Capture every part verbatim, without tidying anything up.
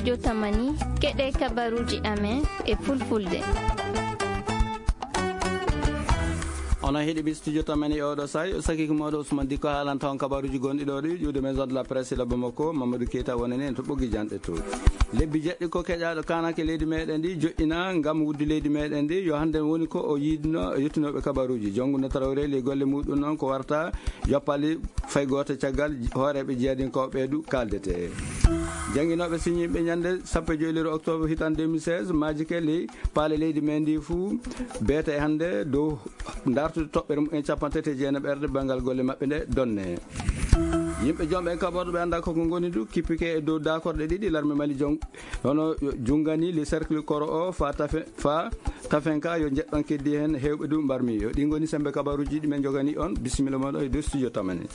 Yo tamani, keɗe kabaruji amen e fulfulde. Onon heɗiɓe studio tamani e oɗo sa'i, o sakiki moɗo Ousmane Dikko haalanta on kabaruji gonɗi ɗo ɗi ƴuwde Maison de la Presse e labbo makko, Mamadou Keita wonani en to ɓoggi janɗe to. Lebbi jeɗɗi ko keƴaɗo kanake leydi meɗen ndi joɗɗina ngam wuddu leydi meɗen ndi, yo hande woni ko o yiɗno e yettinoɓe kabaruji. Jonguno Traoré ley golle muɗum noon ko warta yoppali fay gooto caggal hooreeɓe jihadinkoɓe du kaaldete. Jannginooɓe siñiiɓe ñannde sappo e joy lewru octobre hitande deux mille seize, maaji ke ley paale leydi men ndi fuu beete e hannde dow dartude toɓɓere mumen capanɗe tati e jeenayi ɓerde banngal golle maɓɓe nde donne. Yimɓe jomɓe kaɓorɗo ɓe annda koko ngoni du kippike e dow daakorɗe ɗiɗi larme Mali jong-, hono Jungani, le cercle koro o fa tafe, fa Tafenka yo njeɗɗon keddi heen heewɓe du mbarmi. Yo ɗi ngoni sembe kabaruji ɗi men jogani on. Bisimilla moɗo e dow studio tamani.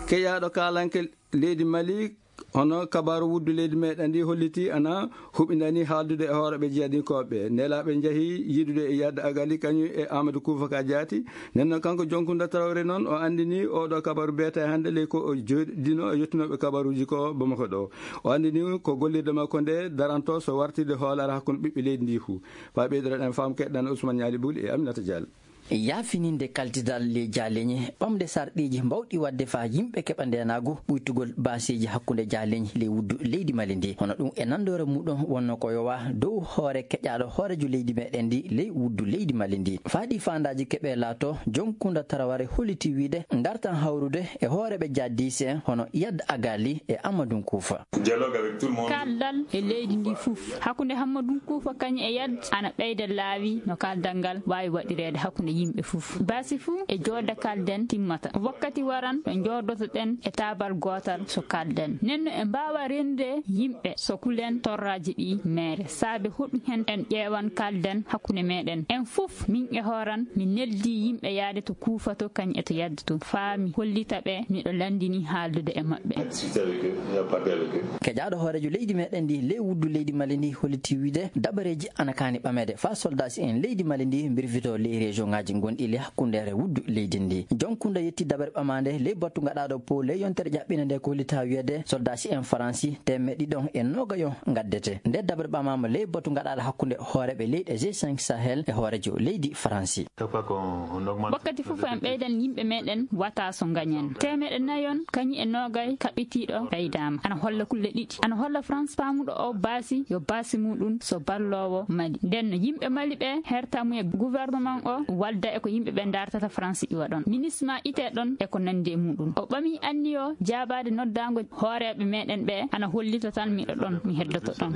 Keƴaaɗo kaalanke leydi Mali, hono kabaru wuddu leydi meɗen ndi holliti ana huɓindani haaldude e hooreɓe jihadinkooɓe. Nelaaɓe njahi yiidude e Yadda Agali kañum e Amadou Koufa ka jaati. Nden noon kanko Jonkundo Traoré noon o anndini oɗo kabaru beete hannde ley ko o joɗɗino e yettunooɓe kabaruji ko Bamako ɗo. O anndini ko gollirde makko nde daranto so wartirde hoolare hakkunde ɓiɓɓe leydi ndi fuu. Faa ɓeydoɗen faamu keɗɗan Ousmane Ñaali Buli e Aminata Diallo. Yaafininde kaltidal ley jaaleñi, ɓamde sarɗiiji mbawɗi waɗde faa yimɓe keɓa ndeenaagu, ɓuytugol baaseeji hakkunde jaaleñi ley wuddu leydi Mali ndi. Hono ɗum e nandoore muɗum wonno ko yowa dow hoore keƴaaɗo hooreejo leydi meɗen ndi ley wuddu leydi Mali ndi. Faa ɗi faandaaji keɓe laato, Jonkunda Taraware holliti wiide dartan hawrude e hooreeɓe jaadiise en hono Yad Agali e Amadou Koufa. Dialogue avec tout le monde. Kaldal e leydi ndi fof. Hakkunde Hammadou Koufa kañum e Yad ana ɓeyda laawi no kaldal ngal waawi waɗireede hakkunde yimɓe fof. Baasi fuu e joodde kalden timmata. Wakkati waran ɗo njoodotoɗen e taabal gootal so kalden. Nden no e mbaawa rende yimɓe so kulen torraaji ɗi meere. Saabe hoɗum hen en ƴeewan kalden hakkunde meɗen. En fof min e hooran min neldi yimɓe yaade to Koufa to kañum e to Yad to. Faa mi hollita ɓe miɗo landini haaldude e maɓɓe. Discuter avec eux, il a parlé avec eux. Keƴaaɗo hooreejo leydi meɗen ndi ley wuddu leydi Mali ndi holliti wiide dabareeji ana kaani ɓameede faa soldaasi en leydi Mali ndi mbirfito ley région ŋaaji gonɗi ley hakkundeere wuddu leydi ndi. Jonkunda yetti dabare ɓamaande ley batu gaɗaaɗo po ley yontere ƴaɓɓinde nde ko hollita wiyeede soldaasi en Faransi teemeɗɗe ɗiɗon e noogayo ngaddete. Nde dabare ɓamaama ley batu gaɗaaɗo hakkunde hooreeɓe leyɗe G cinq Sahel e hooreejo leydi Faransi. Wakkati fof en ɓeydan yimɓe meɗen wata so gañen. Teemeɗɗe nayon kañum e noogay kaɓɓitiiɗo ɓeydaama. Ana holla kulle ɗiɗi. Ana holla France paamuɗo o baasi yo baasi muɗum so balloowo Mali. Nden no yimɓe Mali ɓe herta mu e gouvernement o walda e ko yimɓe ɓe dartata France iwa ɗon. Ministre ma ite ɗon e ko nandi e muɗum. O ɓami anniyo jaabaade noddaango hooreeɓe meɗen ɓe ana hollita tan miɗo ɗon, mi heddoto ɗon.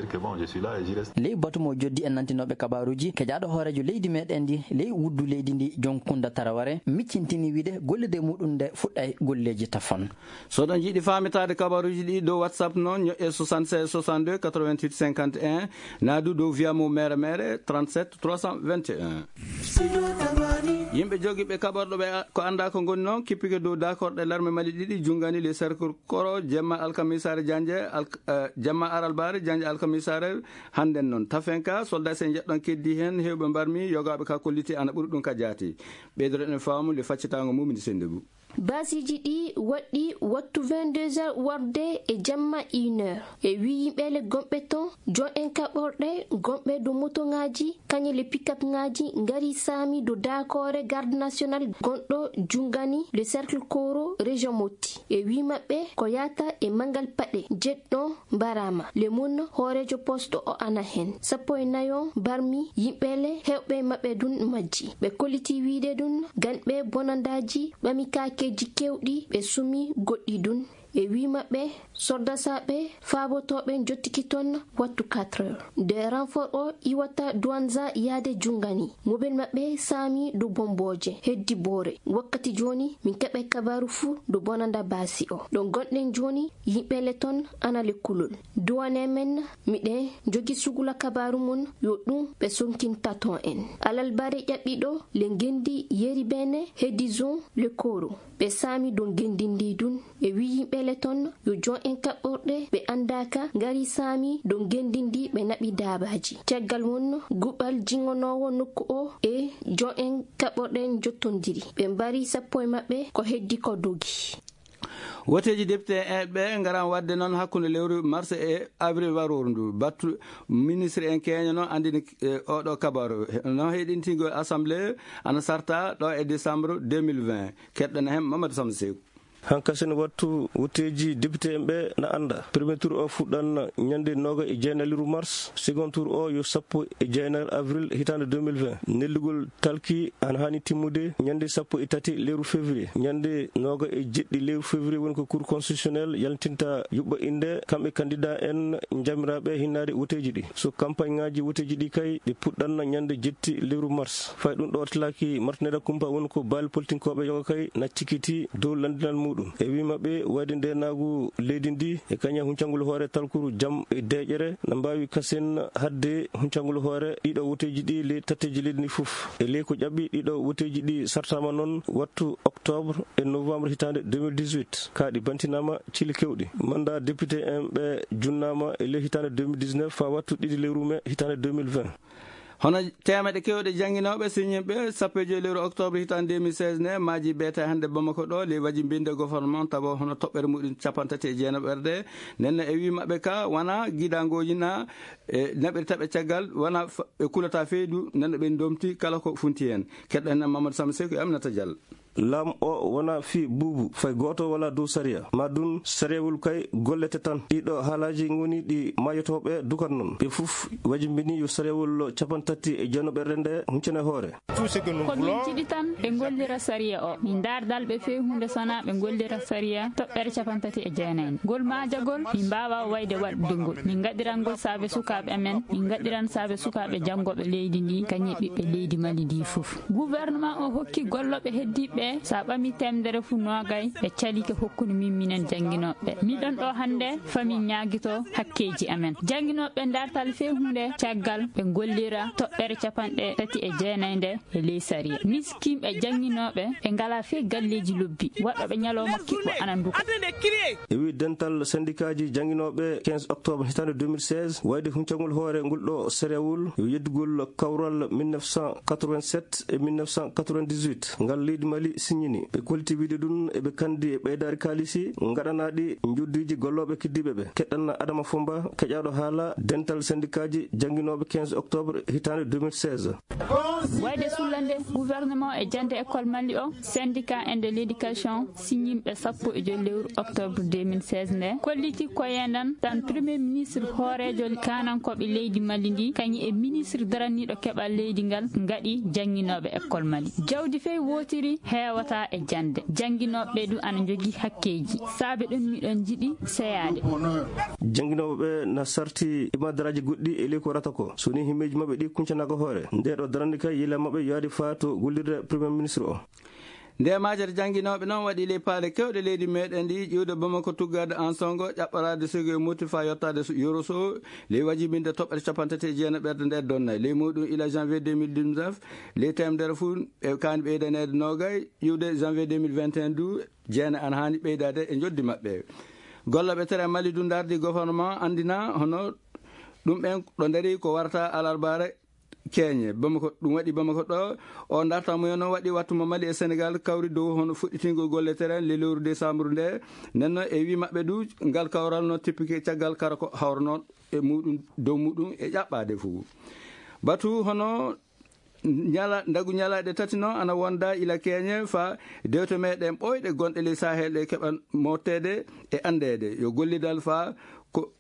Ley batu mo joddi en nantinooɓe kabaruuji, keƴaaɗo hooreejo leydi meɗen ndi ley wuddu leydi ndi Jonkunda Taraware miccintini wiide gollirde muɗum nde fuɗɗay golleeji tafon. So ɗon jiɗi faamitaade kabaruuji ɗi dow WhatsApp noon, ñoƴƴe soixante-seize soixante-deux quatre-vingt-huit cinquante et un, naa du dow via mo mere mere trente-sept trois cent vingt et un. Yimɓe jogiiɓe kaɓorɗo ɓe a-, ko anndaa ko ngoni noon, kippike dow daakorɗe larme Mali ɗiɗi, Jungani le cercle koro, jemma alkamisaare Janje, alk-, eh, jemma aralbaare Janje alkamisaare hannden noon. Tafenka, soldat sen jeɗɗon keddi heen, heewɓe mbarmi, yogaaɓe ka kolliti ana ɓuri ɗum ka jaati. Ɓeydoɗen faamu le faccitaango mum, mini sennde bu. Baasiiji ɗi waɗɗi wattu vingt-deux heures warde e jamma une heure. E wii yimɓeele gonɓe ton, jon en kaɓorɗe gonɓe dow motoŋaaji, kañe le pick-up ŋaaji ngari saami dow daakoore garde national gonɗo Jungani le cercle koro région Mopti. E wii maɓɓe ko yaata e mangal paɗe jeɗɗo mbaraama. Le mun hooreejo poste o ana hen. Sappo e nayo mbarmi yimɓeele heewɓe maɓɓe dun majji. Ɓe kolliti wiide dun ganɓe bonandaaji ɓami kaakeeji kewɗi ɓe sumi goɗɗi dun. E wii maɓɓe soldasaaɓe faabotooɓe jottiki ton wattu quatre heures. Nde renfort o iwata Douanza yaade Jungani. Mobel maɓɓe saami dow bombooje heddi boore. Wakkati jooni min keɓay kabaaru fuu dow bonanda baasi o. Ɗo gonɗen jooni yimɓeele ton ana le kulol. Duwane men miɗen jogi sugula kabaaru mun yo ɗum ɓe sonkintaton en. Alalbare ƴaɓɓiɗo le ngendi yeri bene heddi zon le koro. Ɓe saami dow ngendi ndi dun. E wii yimɓeele ton yo jon en kaɓɓorɗe ɓe andaaka ngari saami dow ngendi ndi ɓe naɓi daabaaji. Caggal won guɓal jingonoowo nokku o e jon en kaɓɓorɗe jottondiri. Ɓe mbari sappo e maɓɓe ko heddi ko dogi. Woteeji député en ɓe ngaran waɗde noon hakkunde lewru mars e avril warooru ndu. Battu ministre en keña noon anndini, e, oɗo kabaru. No heɗintingol assemblée ana sarta ɗo e décembre deux mille vingt. Keɗɗen heen Mamadou Samba Seeku. Hankasen wattu woteeji député en ɓe na annda. Premier tour o fuɗɗan ñande nooga e jeenayi lewru mars. Second tour o yo sappo e jeenayi avril hitaande deux mille vingt. Nellugol talki ana haani timmude ñande sappo e tati lewru février. Ñande nooga e jeɗɗi lewru février woni ko Cour constitutionnelle yaltinta yuɓɓa innde kamɓe candidat en jamiraaɓe hinnaade woteeji ɗi. So campagne ŋaaji woteeji ɗi kay ɗi puɗɗanna ñande jetti lewru mars. Fay ɗum ɗo tilaki martinere kumpa woni ko baali politinkooɓe yoga kay na cikiti dow landinal muɗum. E wii maɓɓe wayde ndenaagu leydi ndi e kaña huncangol hoore talkuru jam e deeƴere na mbaawi kasen hadde huncangol hoore ɗiɗo woteeji ɗi ley tatteeji leydi ndi fof. E ley ko ƴaɓɓi ɗiɗo woteeji ɗi sartaama noon wattu octobre e novembre hitaande deux mille dix-huit. Kaa ɗi bantinaama cili kewɗi. Mandat député en ɓe junnaama e ley hitaande deux mille dix-neuf faa wattu ɗiɗi lewru mai hitaande deux mille vingt. Hono teemedde kewɗe jannginooɓe siññinɓe sappo e joy lewru octobre hitaande deux mille seize ne maaji beete hannde Bamako ɗo, ley waji mbinde gouvernement tawa hono toɓɓere muɗum capantati e jeenaɓerde. Nden no e wii maɓɓe ka wana gidaangooji na, e naɓiri taɓe caggal, wana f-, ɓe kulata feydu, nden no ɓe ndomti kala ko funti heen. Keɗɗen Mamadou Samba Seeku e Aminata Diallo. Laam o wona fii buubu, fay gooto wala dow sariya. Ma ɗum sariyawol kay gollete tan. Ɗiɗo haalaaji ngoni ɗi maayotooɓe dukat noon. Ɓe fof wajimbini yo sariyawol capantati e jeenaɓerde nde huncane hoore. Ko min jiɗi tan ɓe ngollira sariya o. Min ndaar dalɓe feewhunde sona ɓe ngollira sariya toɓɓere capantati e jeenayi. Ngol maajagol min mbaawa wayde waɗde ngol. Min ngaɗiran ngol saabe sukaaɓe amen, min ngaɗiran saabe sukaaɓe janngooɓe leydi ndi, kañum e ɓiɓɓe leydi Mali ndi fof. Gouvernement o hokki gollooɓe heddiiɓe ɓe, so a ɓami teemedere fof noogay, ɓe calike hokkude min minen jannginooɓe ɓe. Miɗon ɗo hannde faa min ñaagito hakkeeji amen. Jannginooɓe ɓe ndartal feewhunde caggal ɓe ngollira toɓɓere capanɗe tati e jeenayi nde e ley sariya. Miskinɓe jannginooɓe ɓe ngalaa fee galleeji lobbi, waɗooɓe ñalawma kiɓɓo ana nduka. E wii dental sendikaaji jannginooɓe quinze octobre hitaande deux mille seize, wayde huncangol hoore ngol ɗo sariyawol yo yeddugol kawral mille neuf cent quatre-vingt-sept e mille neuf cent quatre-vingt-dix-huit ngal leydi Mali siññini. Ɓe kolliti wiide ɗum eɓe kandi e ɓeydaari kaalisi ngaɗanaaɗi njoddiiji gollooɓe keddiiɓe ɓe. Keɗɗan Adama Fomba, keƴaaɗo haala dental sendikaaji jannginooɓe quinze octobre hitaande deux mille seize. Wayde sullande gouvernement e jannde école Mali o, syndicat en de l'éducation, siññinɓe sappo e joy lewru octobre deux mille seize nde, kolliti koye ndan tan premier ministre hooreejo kaanankooɓe leydi Mali ndi, kañum e ministre daraniiɗo keɓal leydi ngal, ngaɗi jannginooɓe école Mali. Jawdi fey wootiri heewata e jannde. Jannginooɓe ɓe du ana njogii hakkeeji. Saabe ɗum miɗon jiɗi seyaade. Jannginooɓe ɓe na sarti ibadaraaji goɗɗi e ley ko rata ko. So ni himmeeji maɓɓe ɗi kuncanaaka hoore. Nde ɗo darande kay yila maɓɓe yaadi faa to gollirde premier ministre o. Nde majere jannginooɓe noon waɗi ley paale kewɗe leydi meɗen ndi, ƴiwde Bamako, tuggaade Ansongo, ƴaɓɓoraade Sego e Moti faa yottaade so-, Yoroso, ley wajibinde toɓɓere capantati e jeenaɓerde nde donnay. Ley muɗum ila janvier deux mille dix-neuf, ley teemedere fof e kaani ɓeydaneede noogay, ƴiwde janvier deux mille vingt et un du, jeena ana haani ɓeydaade e njoddi maɓɓe. Gollooɓe tere Mali du ndardi gouvernement anndina hono ɗum ɓen ɗo ndari ko warata alarbaare keeñe. Bamako, ɗum waɗi Bamako ɗo, o ndarta mumen noon waɗi wattu mo Mali e Senegal kawri dow hono fuɗɗitingol golle tere le lewru décembre nde. Nden noon e wii maɓɓe du, ngal kawral no tippike caggal kara ko hawrano e muɗum, dow muɗum e ƴaɓɓaade fof. Batu hono ñala-, ndagu ñalaaɗe tati noon ana wonda ila keeñe faa dewte meɗen ɓooyɗe gonɗe ley Sahel ɗe keɓa motteede e anndeede. Yo gollidal faa ko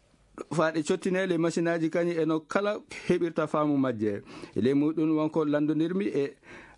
faa ɗe cottinee ley masinaaji kañum e no kala heɓirta faamu majje. E ley muɗum wonko lanndondirmi e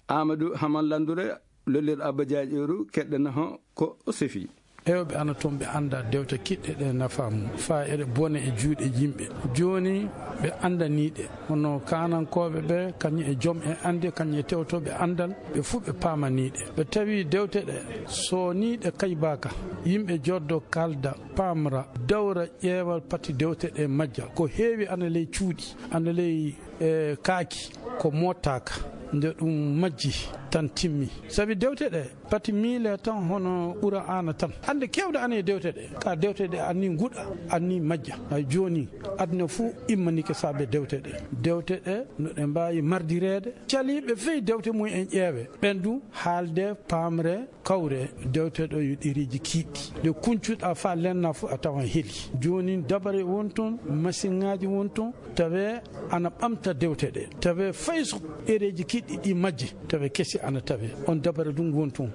Amadou Haman Lanndure, lollirɗo Abba Jaaƴooru, keɗɗen ho ko o sefi. Ewɓe ana toon ɓe annda dewte kiɗɗe ɗe nafa mum, faa eɗe bona e juuɗe yimɓe. Jooni ɓe anndanii ɗe, hono kaanankooɓe ɓe, kañum e jom e annde, kañum e tewtooɓe anndal, ɓe fuu ɓe paamanii ɗe. Ɓe tawi dewte ɗe, so nii ɗe kaybaaka, yimɓe joddo kaalda, paamra, dawra, ƴeewa pati dewte ɗe majja. Ko heewi ana ley cuuɗi, ana ley, e, kaaki, ko moottaaka. Nde ɗum majji, tan timmi. Sabi dewte ɗe, pati miile tan hono Qur'aana tan. Hannde keewɗe ana e dewte ɗe. Ka dewte ɗe anni nguɗa, anni majja. Hay jooni, aduna fuu immanike saabe dewte ɗe. Dewte ɗe, no ɗe mbaawi mardireede. Caliiɓe fey dewte mum en ƴeewe. Ɓen du haalde, paamre, kawre, dewte ɗo yo ɗereeji kiiɗɗi. Ɗe kuncuɗa faa lenna fuu a tawan heli. Jooni dabare won toon, masiŋaaji won toon, tawe ana ɓamta dewte ɗe. Tawe fay so ɗereeji kiiɗɗi ɗi majji, tawe kesi ana tawe. On dabare ɗum won toon.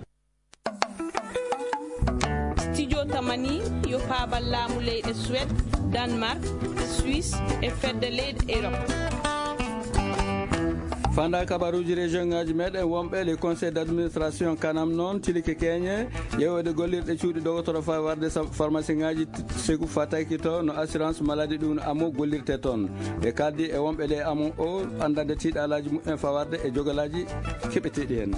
Studio Tamani yo paabal laamu leyɗe Suède, Danemark, Suisse e fedde leyɗe Europe. Fanda kabaruuji région ngaji meɗen wonɓe le conseil d'administration kanam noon tilike keñe ƴeewde gollirɗe cuuɗi dogotoro faa warde sa- pharmacie ngaji segu fataki to no assurance maladie ɗum no amo gollirte toon. Ɓe kaldi e wonɓe le amo o andande tiiɗalaaji mumen faa warde e jogalaaji keɓeteeɗi heen.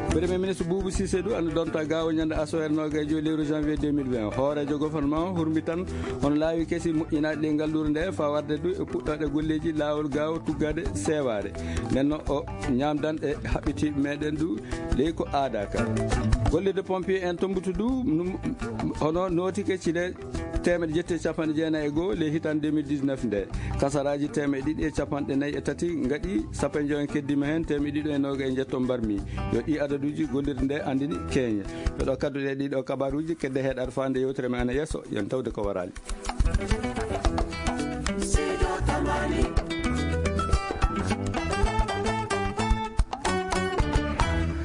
Premier ministre Boubou Cissé du ana donta gaawo ñande asoere noogaye joyi lewru janvier deux mille vingt. Hooreejo gouvernement hurmitan hono laawi kesi moƴƴinaaɗi ley ngalluure nde faa warde du e puɗɗooɗe golleeji laawol gaawo tuggaade seewaare. Nden no o ñaamdan e haɓɓitiiɓe meɗen du ley ko aada ka. Gollirde pompier en Tombutu du num- hono nootike cile teemeɗe jetti e capanɗe jeenayi e goo ley hitande deux mille dix-neuf nde. Kasaraaji teemeɗe ɗiɗi e capanɗe nayi e tati ngaɗi, sappo e joy en keddima heen, teemeɗe ɗiɗi e noogaye e njetto mbarmi. Yo ɗi adaduuji gollirde nde anndini keñe. Yo ɗo kadduɗe ɗiɗo kabaruuji kedde heɗaade faande yewtere men ana yeeso, yon tawde ko waraali.